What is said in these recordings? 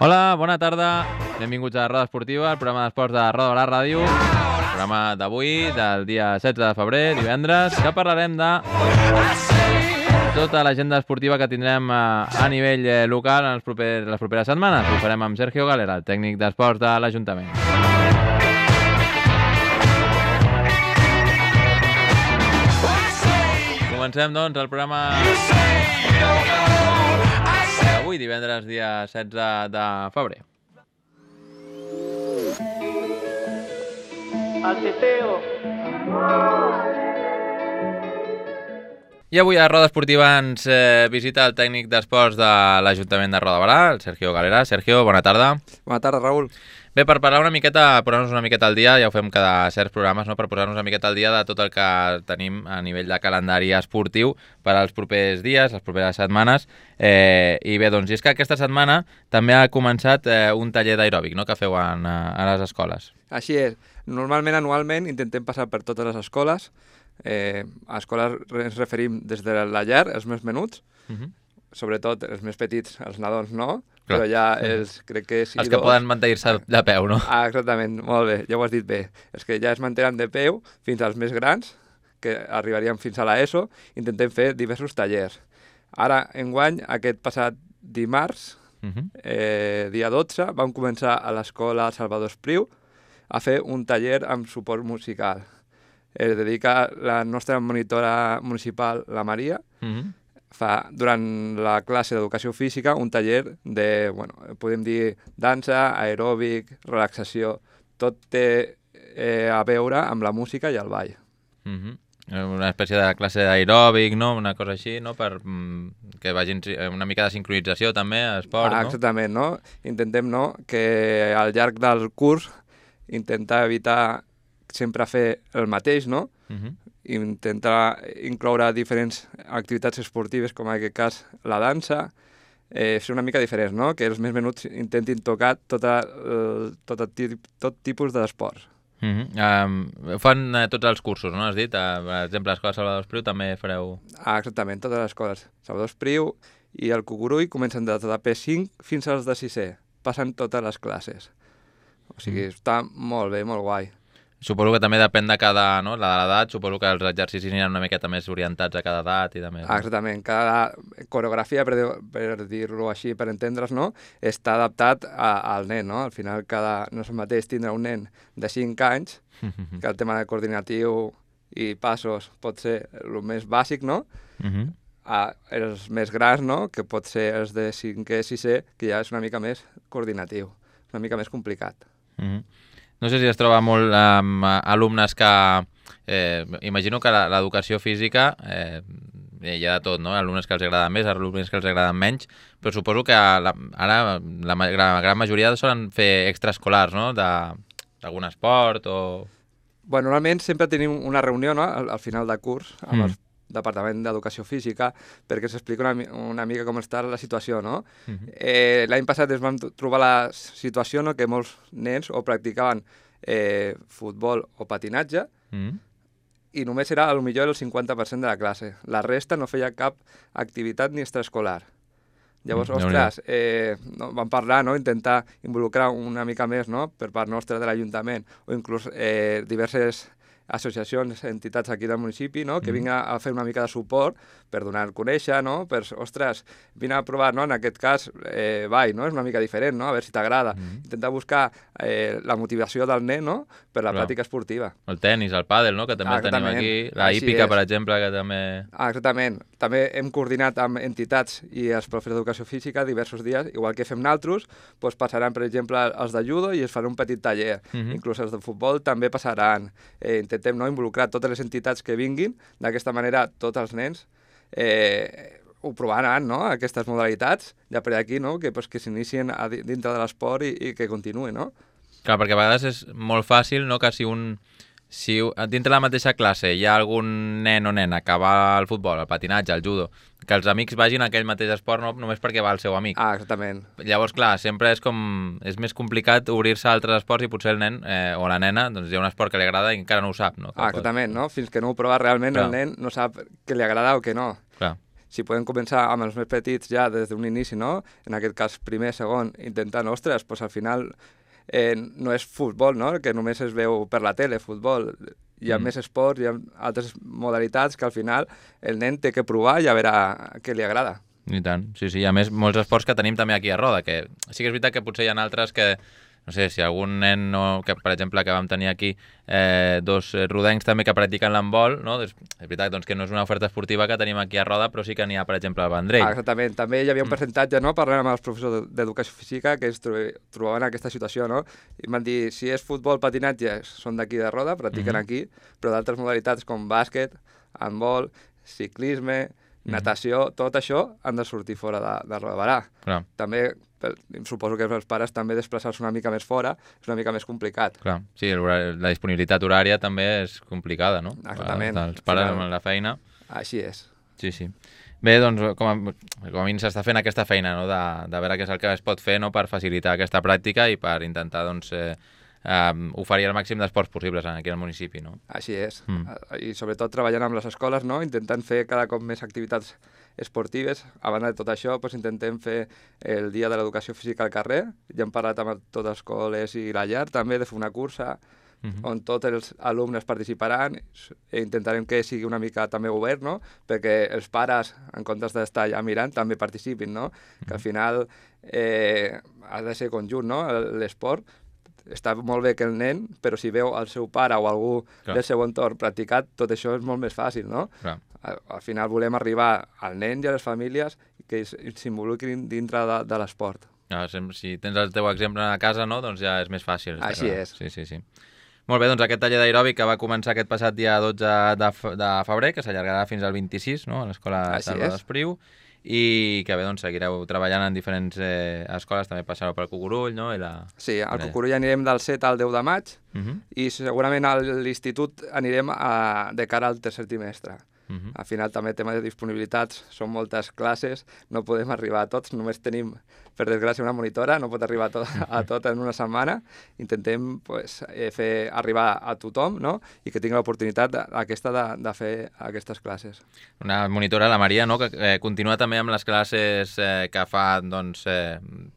Hola, bona tarda. Benvinguts a Roda Esportiva, el programa d'esports de Roda Barà Ràdio. El programa d'avui, del dia 16 de febrer, divendres, que parlarem de tota l'agenda esportiva que tindrem a nivell local en les properes setmanes. Ho farem amb Sergio Galera, el tècnic d'esports de l'Ajuntament. Comencem, doncs, el programa d'avui, divendres, dia 16 de febrer. Al teteo. I avui a Roda Esportiva ens visita el tècnic d'esports de l'Ajuntament de Roda Barà, el Sergio Galera. Sergio, bona tarda. Bona tarda, Raül. Bé, per parlar una miqueta, posar-nos una miqueta al dia, ja ho fem cada certs programes, no? Per posar-nos una miqueta al dia de tot el que tenim a nivell de calendari esportiu per als propers dies, les properes setmanes. I bé, doncs, i és que aquesta setmana també ha començat un taller d'aeròbic, no?, que feu a les escoles. Així és. Normalment, anualment, intentem passar per totes les escoles. A escoles ens referim des de la llar, els més menuts, sobretot els més petits, els nadons no, però ja crec que sí. Els que poden mantenir-se de peu, no? Ah, exactament, molt bé, ja ho has dit bé. Els que ja es mantenen de peu fins als més grans, que arribarien fins a l'ESO, intentem fer diversos tallers. Ara, enguany, aquest passat dimarts, dia 12, vam començar a l'escola Salvador Espriu a fer un taller amb suport musical. Es dedica la nostra monitora municipal, la Maria, fa durant la classe d'educació física un taller de, bueno, podem dir dansa, aeròbic, relaxació, tot té a veure amb la música i el ball. Una espècie de classe d'aeròbic, no? Una cosa així, no? Per que vagin una mica de sincronització també a esport, no? Exactament, no? Intentem, no?, que al llarg del curs intentar evitar sempre fer el mateix, no? Intentar incloure diferents activitats esportives, com en aquest cas la dansa, ser una mica diferents, no? Que els més menuts intentin tocar tot tipus d'esports. Fan tots els cursos, no? Has dit, per exemple, a l'Escola Salvador Espriu també fareu... Exactament, totes les escoles. Salvador Espriu i el Cucurull comencen des de P5 fins als de 6è. Passen totes les classes. O sigui, està molt bé, molt guai. Suposo que també depèn de cada, no?, de l'edat, suposo que els exercicis aniran una miqueta més orientats a cada edat i de més. Exactament, cada coreografia, per dir-ho així, per entendre's, no?, està adaptat al nen, no? Al final no és el mateix tindre un nen de 5 anys, que el tema de coordinatiu i passos pot ser el més bàsic, no?, els més grans, no?, que pot ser els de 5è, 6è, que ja és una mica més coordinatiu, una mica més complicat. No sé si es troba molt amb alumnes que... imagino que l'educació física hi ha de tot, no? Alumnes que els agraden més, alumnes que els agraden menys, però suposo que ara la gran majoria solen fer extraescolars, no?, d'algun esport o... Bueno, normalment sempre tenim una reunió, no?, al final de curs amb el Departament d'Educació Física perquè s'explica una mica com està la situació, no? L'any passat ens vam trobar la situació, no?, que molts nens o practicaven futbol o patinatge i només era potser el 50% de la classe. La resta no feia cap activitat ni extraescolar. Llavors, ostres, vam parlar, no?, intentar involucrar una mica més, no?, per part nostra de l'Ajuntament o inclús diverses associacions, entitats aquí del municipi, no?, que vinguin a fer una mica de suport per donar a conèixer, no?, per, ostres, vine a provar, no?, en aquest cas, ball, no?, és una mica diferent, no?, a veure si t'agrada. Intentar buscar la motivació del nen, no?, per la pràctica esportiva. El tenis, el pàdel, no?, que també el tenim aquí, la hípica, per exemple, que també... Exactament. També hem coordinat amb entitats i els professors d'educació física diversos dies, igual que fem naltros, doncs passaran, per exemple, els de judo i es farà un petit taller. Inclús els de futbol també passaran. Intentem, no?, involucrar totes les entitats que vinguin, d'aquesta manera tots els nens ho provaran, no?, aquestes modalitats, ja per aquí, no?, que s'inicien dintre de l'esport i que continuïn, no? Clar, perquè a vegades és molt fàcil, no?, que si dintre de la mateixa classe hi ha algun nen o nena que va al futbol, al patinatge, al judo, que els amics vagin a aquell mateix esport no només perquè va el seu amic. Exactament. Llavors, clar, sempre és més complicat obrir-se a altres esports i potser el nen o la nena doncs hi ha un esport que li agrada i encara no ho sap, no? Exactament, no? Fins que no ho prova realment el nen no sap que li agrada o que no. Clar. si podem començar amb els més petits ja des d'un inici, no? En aquest cas primer, segon, intentant, ostres, doncs al final no és futbol, no? Que només es veu per la tele, futbol. Hi ha més esports, hi ha altres modalitats que al final el nen té que provar i a veure què li agrada. I tant, sí, a més molts esports que tenim també aquí a Roda, que sí que és veritat que potser hi ha altres que, no sé, si algun nen, que per exemple que vam tenir aquí dos rodencs també que practiquen l'handbol, no? És veritat doncs, que no és una oferta esportiva que tenim aquí a Roda, però sí que n'hi ha, per exemple, al Vendrell. Exactament, també hi havia un percentatge, no? Parlant amb els professors d'educació física que es trobaven en aquesta situació, no? I em van dir, si és futbol, patinatge, són d'aquí de Roda, practiquen aquí, però d'altres modalitats com bàsquet, handbol, ciclisme, natació, tot això han de sortir fora de Roda de Barà. Clar. També, suposo que els pares també desplaçar-se una mica més fora és una mica més complicat. Clar, sí, la disponibilitat horària també és complicada, no? Exactament. Els pares amb la feina. Així és. Sí. Bé, doncs, com a mínim s'està fent aquesta feina, no? De veure què és el que es pot fer, no? Per facilitar aquesta pràctica i per intentar, doncs, oferir el màxim d'esports possibles aquí al municipi, no? Així és. I sobretot treballant amb les escoles, no? Intentant fer cada cop més activitats esportives. A banda de tot això, doncs, intentem fer el dia de l'educació física al carrer. Ja hem parlat amb totes les escoles i la llar també de fer una cursa on tots els alumnes participaran i intentarem que sigui una mica també obert, no? Perquè els pares, en comptes d'estar allà mirant, també participin, no? Que al final ha de ser conjunt, no? L'esport. Està molt bé que el nen, però si veu el seu pare o algú del seu entorn practicat, tot això és molt més fàcil, no? Al final volem arribar al nen i a les famílies que s'involucrin dintre de l'esport. Si tens el teu exemple a casa, no? Doncs ja és més fàcil. Així és. Sí. Molt bé, doncs aquest taller d'aeròbic que va començar aquest passat dia 12 de febrer, que s'allargarà fins al 26, no? A l'Escola Salva d'Espriu, i que bé, doncs seguireu treballant en diferents escoles, també passareu pel Cucurull, no? Sí, al Cucurull anirem del 7 al 10 de maig i segurament a l'institut anirem de cara al tercer trimestre. Al final també tema de disponibilitats, són moltes classes, no podem arribar a tots, només tenim, per desgràcia, una monitora, no pot arribar a tot en una setmana. Intentem fer arribar a tothom, no? I que tingui l'oportunitat aquesta de fer aquestes classes. Una monitora, la Maria, no? Que continua també amb les classes que fa doncs,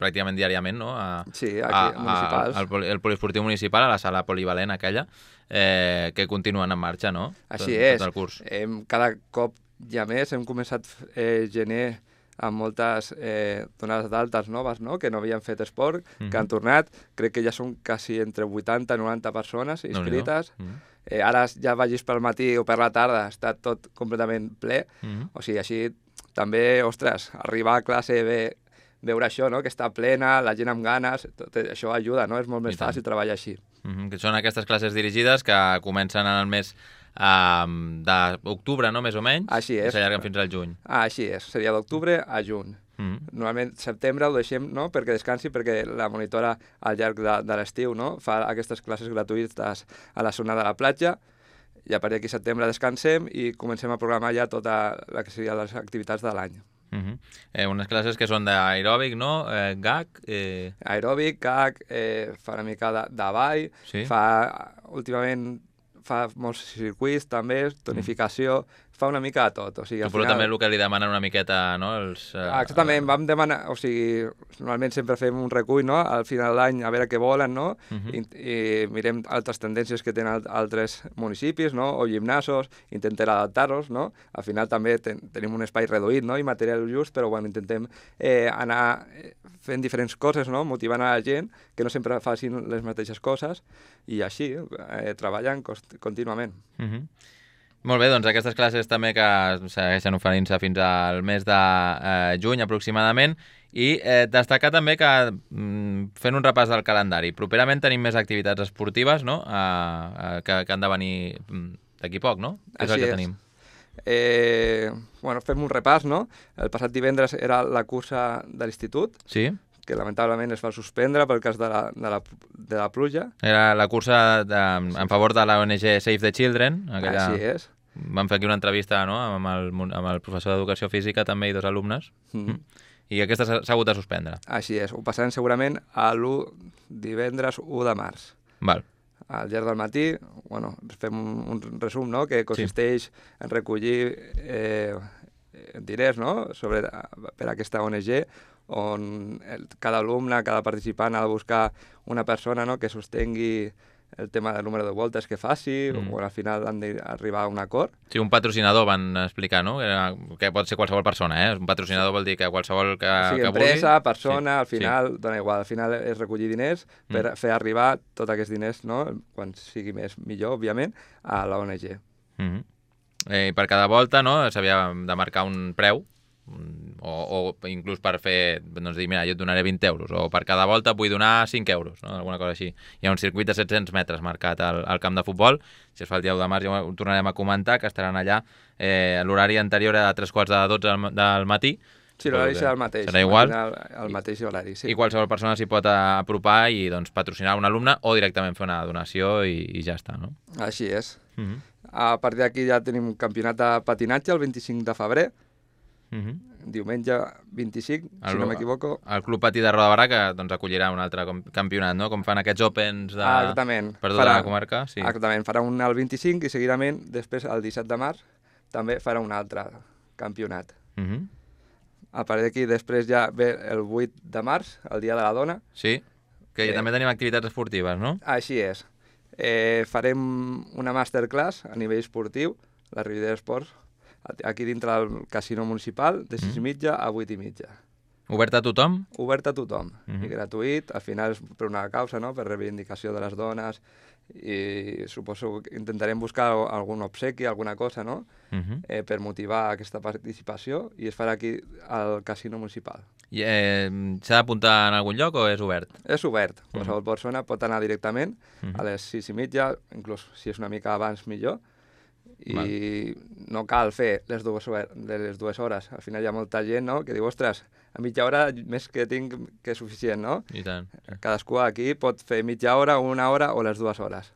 pràcticament diàriament, no? Sí, aquí, municipals. El poliesportiu municipal, a la sala polivalent aquella, que continuen en marxa, no? Així és. Tot el curs. Cada cop hi ha més, hem començat gener amb moltes donades d'altes noves, no? Que no havien fet esport, que han tornat. Crec que ja són quasi entre 80 i 90 persones inscrites. Ara ja vagis pel matí o per la tarda, està tot completament ple. O sigui, així també, ostres, arribar a classe veure això, no? Que està plena, la gent amb ganes, tot això ajuda, no? És molt més fàcil treballar així. Que són aquestes classes dirigides que comencen en el mes d'octubre, no? Més o menys. Així és. I s'allarguen fins al juny. Així és, seria d'octubre a juny. Normalment setembre ho deixem, no? Perquè descansi, perquè la monitora al llarg de l'estiu, no? Fa aquestes classes gratuïtes a la zona de la platja i a partir d'aquí setembre descansem i comencem a programar ja tota la que serien les activitats de l'any. Unes classes que són d'aeròbic, no? GAC? Aeròbic, GAC, fa una mica de ball, últimament fa molts circuits també, tonificació, fa una mica de tot. O sigui, Suposo també el que li demanen una miqueta, no? Exactament, vam demanar, o sigui, normalment sempre fem un recull, no? Al final de l'any a veure què volen, no? I mirem altres tendències que tenen altres municipis, no? O gimnasos, intentem adaptar-los, no? Al final també tenim un espai reduït, no? I material just, però bueno, intentem anar fent diferents coses, no? Motivant a la gent que no sempre facin les mateixes coses i així treballen contínuament. Molt bé, doncs aquestes classes també que segueixen oferint-se fins al mes de juny aproximadament i destacar també que fent un repàs del calendari, properament tenim més activitats esportives, no? Que han de venir d'aquí poc, no? Què és el que tenim? Fem un repàs, no? El passat divendres era la cursa de l'institut, que lamentablement es va suspendre pel cas de la pluja. Era la cursa en favor de la ONG Save the Children. Així és. Vam fer aquí una entrevista, no? amb el professor d'Educació Física també i dos alumnes. I aquesta s'ha hagut de suspendre. Així és. Ho passarem segurament a divendres 1 de març. Val. Al llarg del matí, fem un resum, no? Que consisteix en recollir diners, no?, per a aquesta ONG, on cada alumne, cada participant ha de buscar una persona, no?, que sostengui el tema del número de voltes que faci, o al final han d'arribar a un acord. Sí, un patrocinador van explicar, no? Que pot ser qualsevol persona, eh? Un patrocinador vol dir que qualsevol que sigui, empresa, persona, al final, dona igual, al final és recollir diners per fer arribar tots aquests diners, no?, quan sigui més millor, òbviament, a la ONG. Per cada volta, no?, s'havia de marcar un preu, o inclús per fer, doncs dir, mira, jo et donaré 20 euros, o per cada volta vull donar 5 euros, no? Alguna cosa així. Hi ha un circuit de 700 metres marcat al camp de futbol, si es fa el dia 1 de març ja ho tornarem a comentar, que estaran allà, l'horari anterior a 3:45 del matí. Sí, l'horari serà el mateix. Serà igual. El mateix horari, sí. I qualsevol persona s'hi pot apropar i doncs, patrocinar un alumne o directament fer una donació i ja està, no? Així és. A partir d'aquí ja tenim un campionat de patinatge el 25 de febrer, diumenge 25, si no m'equivoco. El Club Patí de Roda de Barà, que doncs, acollirà un altre campionat, no? Com fan aquests Opens per tota la comarca. Sí. Exactament, farà un el 25 i seguidament, després, el 17 de març, també farà un altre campionat. A partir d'aquí, després ja ve el 8 de març, el Dia de la Dona. Sí, que també tenim activitats esportives, no? Així és. Farem una masterclass a nivell esportiu, la Ribera Esports, aquí dintre del casino municipal, de 6:30 a 8:30. Obert a tothom? Obert a tothom, i gratuït, al final és per una causa, no?, per reivindicació de les dones, i suposo que intentarem buscar algun obsequi, alguna cosa, no?, per motivar aquesta participació, i es farà aquí al casino municipal. I s'ha d'apuntar en algun lloc o és obert? És obert, qualsevol persona pot anar directament a les 6:30, inclús si és una mica abans millor, i no cal fer les dues hores. Al final hi ha molta gent, no?, que diu, ostres, a mitja hora més que tinc que és suficient, no? I tant. Cadascú aquí pot fer mitja hora, una hora o les 2 hores.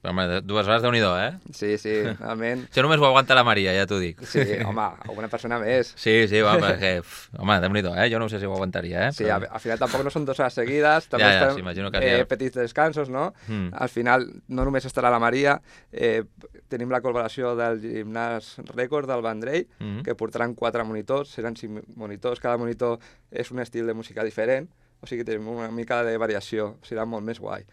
Però, home, 2 hores, Déu-n'hi-do, eh? Sí, realment. Això només ho aguanta la Maria, ja t'ho dic. Sí, home, alguna persona més. Sí, home, perquè, home, Déu-n'hi-do, eh? Jo no sé si ho aguantaria, eh? Sí, al final tampoc no són 2 hores seguides, també fem petits descansos, no? Al final no només estarà la Maria, tenim la col·laboració del gimnàs rècord del Vendrell, que portaran 4 monitors, seran 5 monitors, cada monitor és un estil de música diferent, o sigui que tenim una mica de variació, serà molt més guai.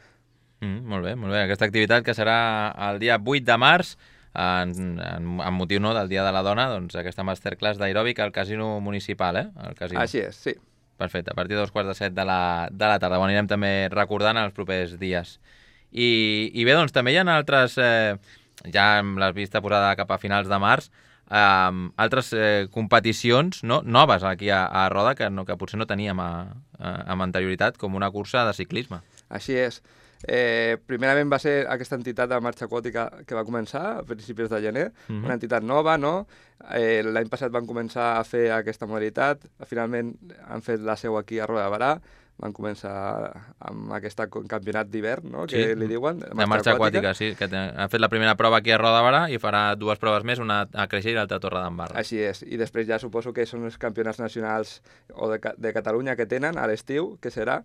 Molt bé, molt bé. Aquesta activitat que serà el dia 8 de març, amb motiu del Dia de la Dona, doncs aquesta masterclass d'aeròbic al casino municipal, eh? Així és, sí. Perfecte, a partir de 2:45 de la tarda. Ho anirem també recordant en els propers dies. I bé, doncs també hi ha altres, ja amb la vista posada cap a finals de març, altres competicions noves aquí a Roda que potser no teníem amb anterioritat, com una cursa de ciclisme. Així és. Primerament va ser aquesta entitat de marxa aquàtica que va començar a principis de gener, una entitat nova, no? L'any passat van començar a fer aquesta modalitat, finalment han fet la seu aquí a Roda de Barà, van començar amb aquest campionat d'hivern, no?, que li diuen, de marxa aquàtica, sí, que han fet la primera prova aquí a Roda de Barà i farà 2 proves més, una a Creixell i l'altra a Torredembarra. Així és, i després ja suposo que són els campionats nacionals o de Catalunya que tenen a l'estiu, que serà,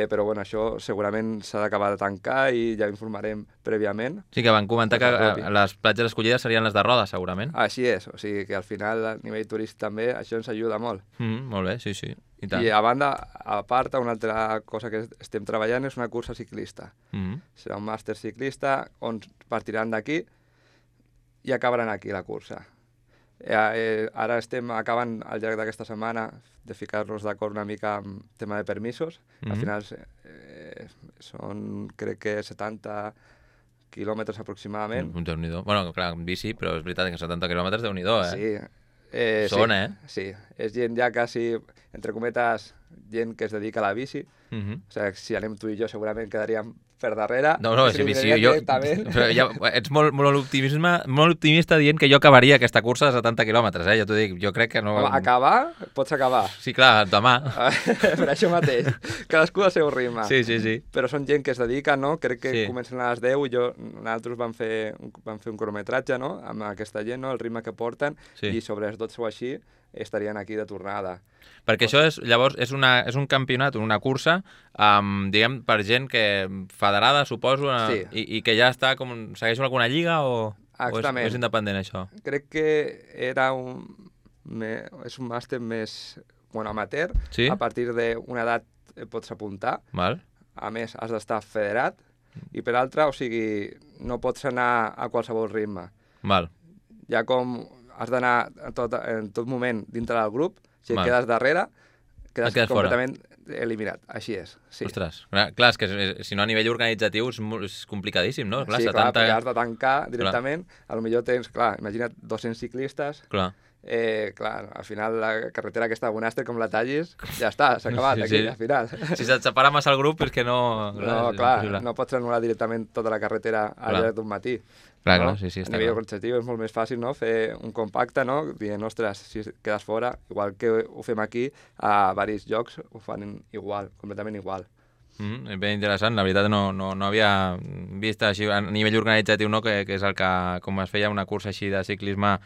però bueno, això segurament s'ha d'acabar de tancar i ja informarem prèviament. Sí, que van comentar que les platges escollides serien les de Roda, segurament. Així és, o sigui que al final a nivell turístic també això ens ajuda molt. Molt bé, sí. I a banda, a part, una altra cosa que estem treballant és una cursa ciclista. Serà un màster ciclista on partiran d'aquí i acabaran aquí la cursa. Ara estem acabant al llarg d'aquesta setmana de ficar-nos d'acord una mica amb tema de permisos. Al final són, crec que 70 quilòmetres aproximadament. Déu-n'hi-do. Bueno, clar, en bici, però és veritat que 70 quilòmetres, Déu-n'hi-do, eh? Sí. Sí, és gent ja quasi, entre cometes, gent que es dedica a la bici. O sigui, si anem tu i jo segurament quedaríem per darrere. No, sí, jo... Però ja, ets molt optimista dient que jo acabaria aquesta cursa de 70 quilòmetres, ja t'ho dic, jo crec que no... Home, acabar? Pots acabar. Sí, clar, demà. Per això mateix, cadascú al seu ritme. Sí. Però són gent que es dedica, no? Crec que comencen a les 10 i nosaltres vam fer un cronometratge, no?, amb aquesta gent, no?, el ritme que porten, i sobre les 12 o així estarien aquí de tornada. Perquè això llavors és un campionat, una cursa, diguem, per gent que federada, suposo, i que ja està segueix alguna lliga o és independent, això? Crec que era és un màster més amateur. Sí? A partir d'una edat pots apuntar. Val. A més, has d'estar federat. I per altra, o sigui, no pots anar a qualsevol ritme. Val. Ja com has d'anar en tot moment dintre del grup, si et Val. quedes darrere, quedes fora. completament eliminat. Així és, sí. Ostres, clar, és que si no a nivell organitzatiu és complicadíssim, no? Clar, Sí, 70... clar, perquè has de tancar directament. A lo millor tens, clar, imagina't 200 ciclistes. Clar. Clar, al final la carretera aquesta de Bonàster, com la tallis, ja està, s'ha acabat aquí, al final. Si se't separa massa el grup és que no... No, clar, no pots anul·lar directament tota la carretera al llarg d'un matí. Clar, no? sí, està a nivell clar. organitzatiu és molt més fàcil, no?, fer un compacte, no?, dient, ostres, si quedes fora, igual que ho fem aquí, a varis llocs ho fan igual, completament igual. Ben interessant, la veritat no havia vist així a nivell organitzatiu, no?, que és el que, com es feia una cursa així de ciclisme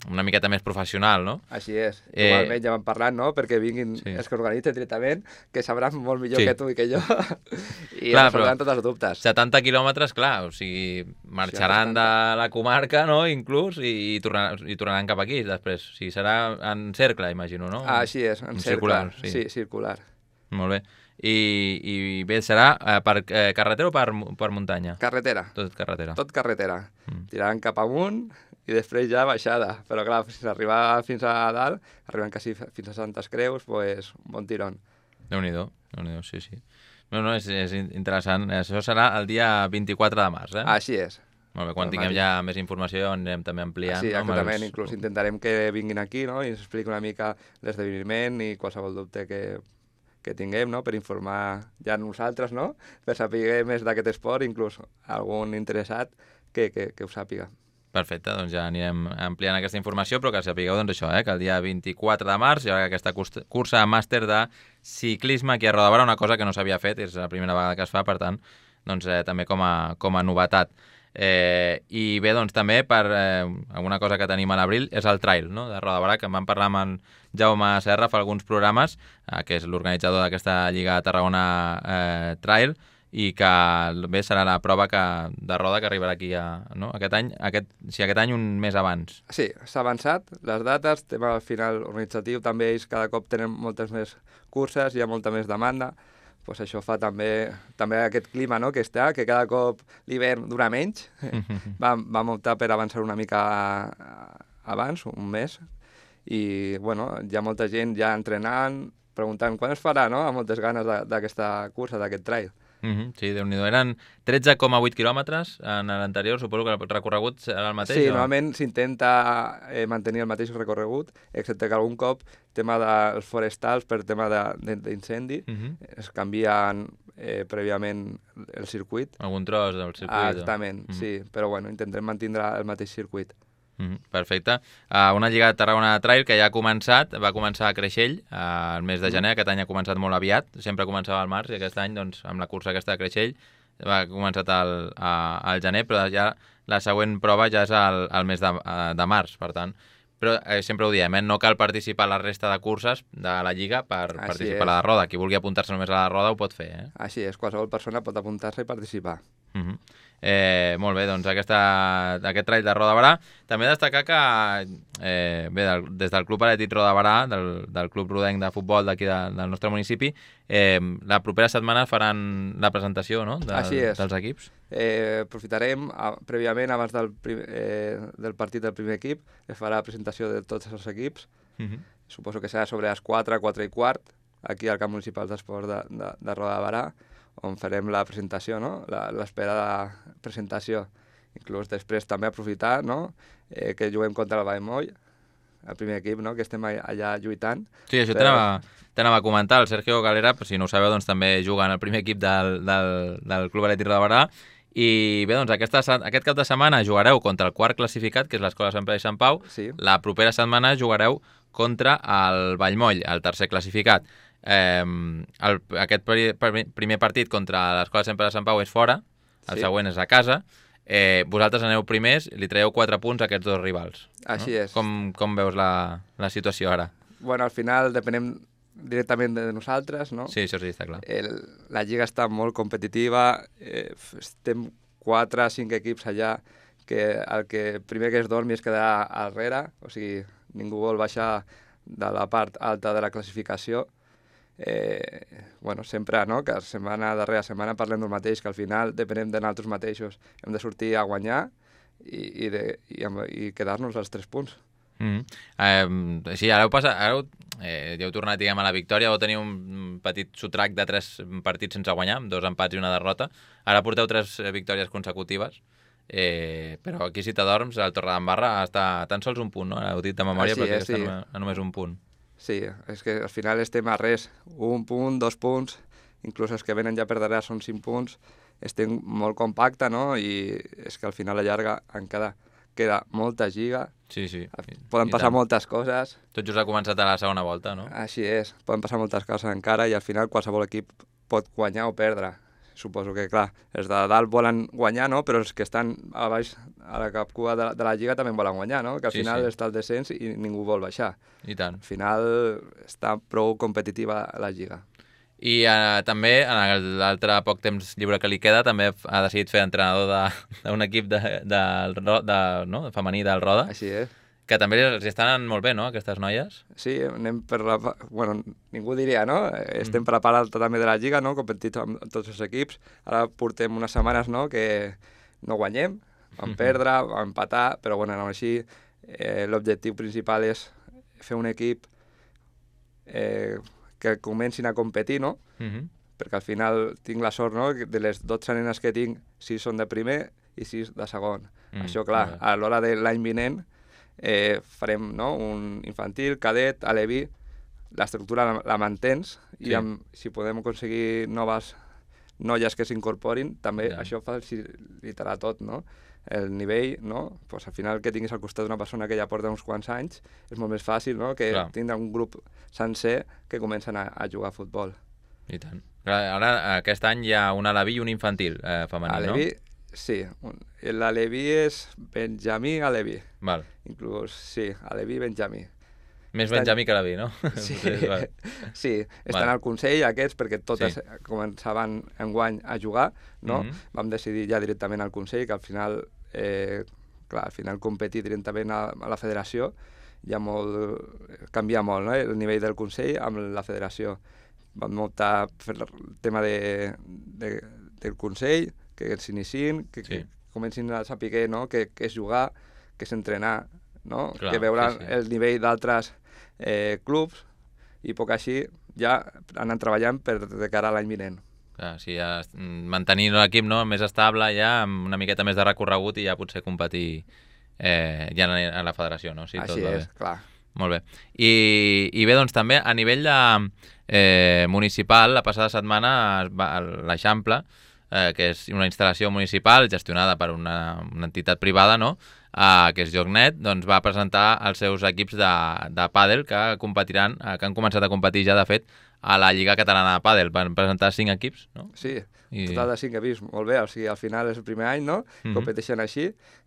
una miqueta més professional, no? Així és. Igualment ja vam parlant, no?, perquè vinguin els que organitzen directament, que sabran molt millor que tu i que jo, i resoldran tots els dubtes. 70 quilòmetres, clar, o sigui, marxaran de la comarca, no?, inclús, i tornaran cap aquí després. O sigui, serà en cercle, imagino, no? Així és, en cercle. Circular, sí, circular. Molt bé. I bé, serà per carretera o per muntanya? Carretera. Tot carretera. Tot carretera. Tiraran cap amunt i després ja baixada. Però clar, si arribar fins a dalt, arriben quasi fins a Santes Creus, pues un bon tirón. Déu-n'hi-do, sí. No, és interessant. Això serà el dia 24 de març, eh? Així és. Molt bé, quan tinguem ja més informació anirem també ampliant. Sí, exactament. Inclús intentarem que vinguin aquí, no?, i ens expliqui una mica l'esdeveniment i qualsevol dubte que tinguem, no?, per informar ja nosaltres, no?, per saber més d'aquest esport, inclús algun interessat que ho sàpiga. Perfecte, doncs ja anirem ampliant aquesta informació, però que sapigueu doncs això, que el dia 24 de març hi haurà aquesta cursa màster de ciclisme aquí a Roda una cosa que no s'havia fet, és la primera vegada que es fa, per tant, doncs també com a novetat. I bé, doncs també per alguna cosa que tenim a l'abril és el trail, no?, de Roda que en vam parlar amb en Jaume Serra fa alguns programes, que és l'organitzador d'aquesta Lliga Tarragona Trail, i que bé serà la prova de roda que arribarà aquí no? aquest any un mes abans. Sí, s'ha avançat les dates, tema al final organitzatiu, també ells cada cop tenen moltes més curses, hi ha molta més demanda, pues això fa també aquest clima, no?, que està, que cada cop l'hivern dura menys. Vam optar per avançar una mica abans, un mes, i bueno, hi ha molta gent ja entrenant, preguntant quan es farà, no?, amb moltes ganes d'aquesta cursa, d'aquest trail. Sí, Déu-n'hi-do. Eren 13,8 quilòmetres en l'anterior, suposo que el recorregut serà el mateix? Sí, normalment s'intenta mantenir el mateix recorregut, excepte que algun cop, tema dels forestals, per tema d'incendi, es canvien prèviament el circuit. Algun tros del circuit. Exactament, sí, però bueno, intentem mantenir el mateix circuit. Perfecte. Una Lliga de Tarragona Trail que ja ha començat, va començar a Creixell el mes de gener, aquest any ha començat molt aviat, sempre començava al març i aquest any doncs, amb la cursa aquesta de Creixell va començat al gener, però ja la següent prova ja és al mes de març, per tant. Però sempre ho diem, no cal participar a la resta de curses de la Lliga per participar a la roda. Qui vulgui apuntar-se només a la roda ho pot fer. Així és, qualsevol persona pot apuntar-se i participar. Molt bé, doncs aquest trail de Roda Barà. També destacar que bé, des del Club Atlètic Roda Barà, del Club Rodenc de Futbol d'aquí del nostre municipi, la propera setmana faran la presentació, no?, dels equips. Aprofitarem prèviament, abans del partit del primer equip, es farà la presentació de tots els equips. Suposo que serà sobre les 4, 4 i quart, aquí al Camp Municipal d'Esports de Roda Barà, on farem la presentació, no?, l'esperada presentació. Inclús després també aprofitar, no?, que juguem contra el Vallmoll, el primer equip, no?, que estem allà lluitant. Sí, això t'anava a comentar. El Sergio Galera, si no ho sabeu, doncs també juga en el primer equip del Club Atlètic Roda Barà. I bé, doncs aquest cap de setmana jugareu contra el quart classificat, que és l'Escola Sant Pere i Sant Pau. Sí. La propera setmana jugareu contra el Vallmoll, el tercer classificat. Aquest primer partit contra l'Escola Sant Pere de Sant Pau és fora, el següent és a casa. Vosaltres aneu primers, li traieu 4 punts a aquests dos rivals. Així és. Com veus la situació ara? Bueno, al final depenem directament de nosaltres, no? Sí, això sí, està clar. La lliga està molt competitiva, estem 4 o 5 equips allà, que el primer que es dormi es quedarà al darrere, o sigui, ningú vol baixar de la part alta de la classificació. Sempre, no?, que setmana darrere setmana parlem del mateix, que al final depenem de nosaltres mateixos. Hem de sortir a guanyar i quedar-nos als 3 punts. Sí, ara ja heu tornat, diguem, a la victòria, vau tenir un petit sotrac de 3 partits sense guanyar, 2 empats i una derrota. Ara porteu 3 victòries consecutives, però aquí si t'adorms, el Torredembarra està a tan sols un punt, no? Heu dit de memòria, però que està a només un punt. Sí, és que al final estem a res, 1 punt, 2 punts, inclús els que venen ja per darrere són 5 punts, estem molt compacte, no? I és que al final a llarga queda molta lliga, sí. Poden passar moltes coses. Tot just ha començat a la segona volta, no? Així és, poden passar moltes coses encara i al final qualsevol equip pot guanyar o perdre. Suposo que, clar, els de dalt volen guanyar, no? Però els que estan a baix, a la capcua de la lliga també volen guanyar, no? Que al final està el descens i ningú vol baixar. I tant. Al final està prou competitiva la lliga. I també, en l'altre poc temps lliure que li queda, també ha decidit fer entrenador d'un equip femení del Roda. Així és. Que també els estan anant molt bé, no?, aquestes noies? Sí, anem per la... Bueno, ningú diria, no? Estem per la part alta també de la lliga, no?, competint amb tots els equips. Ara portem unes setmanes, no?, que no guanyem, vam perdre, vam empatar, però bueno, així l'objectiu principal és fer un equip que comencin a competir, no? Perquè al final tinc la sort, no?, de les 12 nenes que tinc, 6 són de primer i 6 de segon. Això, clar, a l'hora de l'any vinent farem, no?, un infantil, cadet, aleví, l'estructura la mantens i si podem aconseguir noves noies que s'incorporin, també això facilitarà tot, no? El nivell, no? Pues al final que tinguis al costat d'una persona que ja porta uns quants anys és molt més fàcil, no?, que tindre un grup sencer que comencen a jugar a futbol. I tant. Ara, aquest any hi ha un aleví i un infantil femení, aleví, no? Sí. L'aleví és Benjamí Aleví. Val. Inclús, sí, aleví i Benjamí. Més Benjamí que aleví, no? Sí, sí, estan al Consell aquests perquè totes començaven enguany a jugar, no? Vam decidir ja directament al Consell que al final, clar, al final competir directament a la federació canvia molt, no?, el nivell del Consell amb la federació. Vam optar per el tema del Consell, que s'iniciïn, que comencin a saber, no?, què és jugar, què és entrenar, no?, que veuran el nivell d'altres clubs i poc així ja anem treballant de cara a l'any vinent. Sí, mantenir l'equip, no?, més estable ja, amb una miqueta més de recorregut i ja potser competir ja a la federació, no? Així és, clar. Molt bé. I bé, doncs també a nivell municipal, la passada setmana l'Eixample, que és una instal·lació municipal gestionada per una entitat privada, no?, que és Joc.net, doncs va presentar els seus equips de pàdel que competiran, que han començat a competir ja, de fet, a la Lliga Catalana de Pàdel. Van presentar 5 equips, no? Sí, total de 5 equips, molt bé. O sigui, al final és el primer any, no?, competeixen així,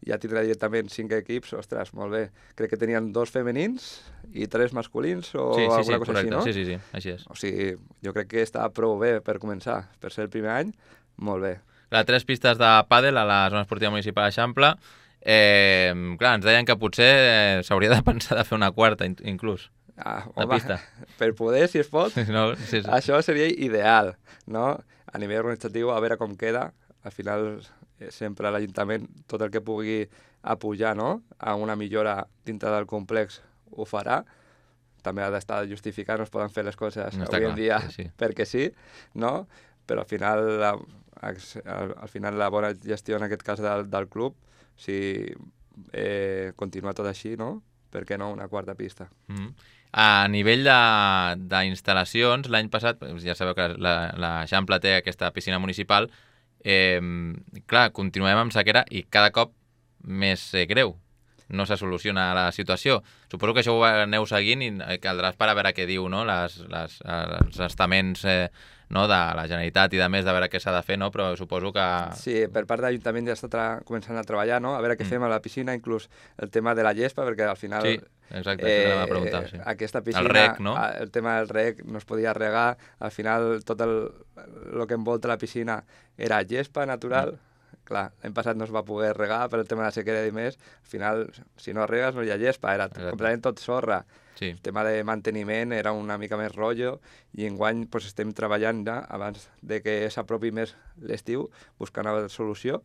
ja tindrà directament 5 equips, ostres, molt bé. Crec que tenien 2 femenins i 3 masculins o alguna cosa així, no? Sí, així és. O sigui, jo crec que està prou bé per començar, per ser el primer any, molt bé. 3 pistes de pàdel a la zona esportiva municipal d'Eixample. Clar, ens deien que potser s'hauria de pensar de fer una quarta, inclús, de pista. Per poder, si es pot, no, sí. Això seria ideal, no? A nivell organitzatiu, a veure com queda. Al final, sempre l'Ajuntament, tot el que pugui apujar, no?, a una millora dintre del complex ho farà. També ha d'estar justificat, no es poden fer les coses avui en dia perquè sí, no? Però al final la bona gestió en aquest cas del club, si continua tot així, no?, per què no una quarta pista? A nivell d'instal·lacions, l'any passat, ja sabeu que l'Eixample té aquesta piscina municipal, clar, continuem amb sequera i cada cop més greu. No se soluciona la situació. Suposo que això ho aneu seguint i caldrà esperar a veure què diu, no?, els estaments no, de la Generalitat i de més, de veure què s'ha de fer, no? Però suposo que... Sí, per part de l'Ajuntament ja està començant a treballar, no?, a veure què fem a la piscina, inclús el tema de la gespa, perquè al final... Sí, exacte, això la preguntar, sí. Aquesta piscina, el rec, no? El tema del rec no es podia regar, al final tot el que envolta la piscina era gespa natural, clar, l'any passat no es va poder regar per el tema de la sequera i més, al final, si no regues no hi ha gespa, era completament tot sorra. Sí. El tema de manteniment era una mica més rotllo i enguany pues, estem treballant ja, abans de que s'apropi més l'estiu, buscant una solució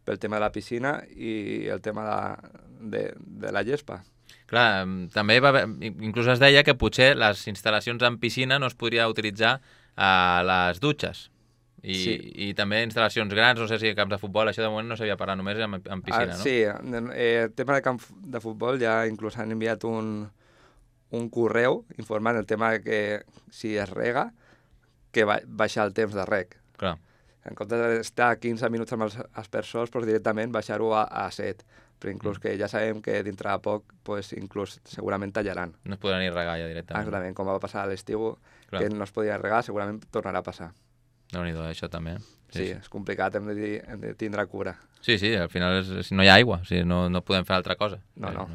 pel tema de la piscina i el tema de la gespa. Clar, també inclús es deia que potser les instal·lacions en piscina no es podria utilitzar a les dutxes. I també instal·lacions grans, no sé si camps de futbol, això de moment no s'havia parlat, només en piscina, no? Sí, el tema de camp de futbol ja inclús han enviat un correu informant el tema que si es rega, que baixar el temps de reg. Clar. En comptes d'estar 15 minuts amb els aspersors, doncs directament baixar-ho a 7. Però inclús que ja sabem que dintre de poc pues, inclús segurament tallaran. No es podrà ni regar ja directament. Exactament, com va passar a l'estiu, que no es podia regar, segurament tornarà a passar. Déu-n'hi-do, això també. Sí, és complicat, hem de tindre cura. Sí, al final no hi ha aigua, no podem fer altra cosa. No.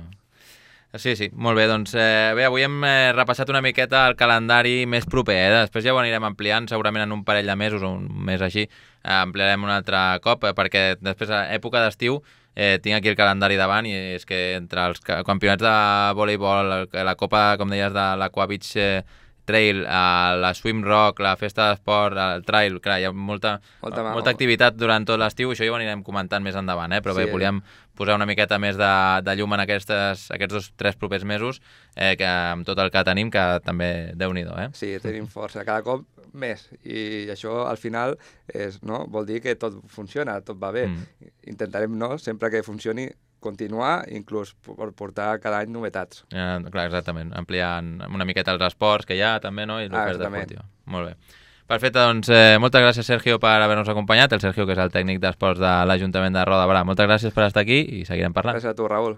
Sí, molt bé, doncs bé, avui hem repassat una miqueta el calendari més proper, després ja ho anirem ampliant, segurament en un parell de mesos o un mes així, ampliarem un altre cop, perquè després a època d'estiu tinc aquí el calendari davant i és que entre els campionats de voleibol, la copa, com deies, de l'Aqua Beach Trail, la Swim Rock, la festa d'esport, el trail, clar, hi ha molta activitat durant tot l'estiu, això ja ho anirem comentant més endavant, però bé, volíem posar una miqueta més de llum en aquests 2-3 propers mesos, que amb tot el que tenim, que també Déu-n'hi-do, Sí, tenim força, cada cop més, i això al final vol dir que tot funciona, tot va bé. Intentarem, sempre que funcioni, continuar, inclús per portar cada any novetats. Clar, exactament, ampliant una miqueta els esports que hi ha també, no? I l'oferta esportiva. Molt bé. Perfecte, doncs moltes gràcies, Sergio, per haver-nos acompanyat. El Sergio, que és el tècnic d'esports de l'Ajuntament de Roda de Berà. Moltes gràcies per estar aquí i seguirem parlant. Gràcies a tu, Raül.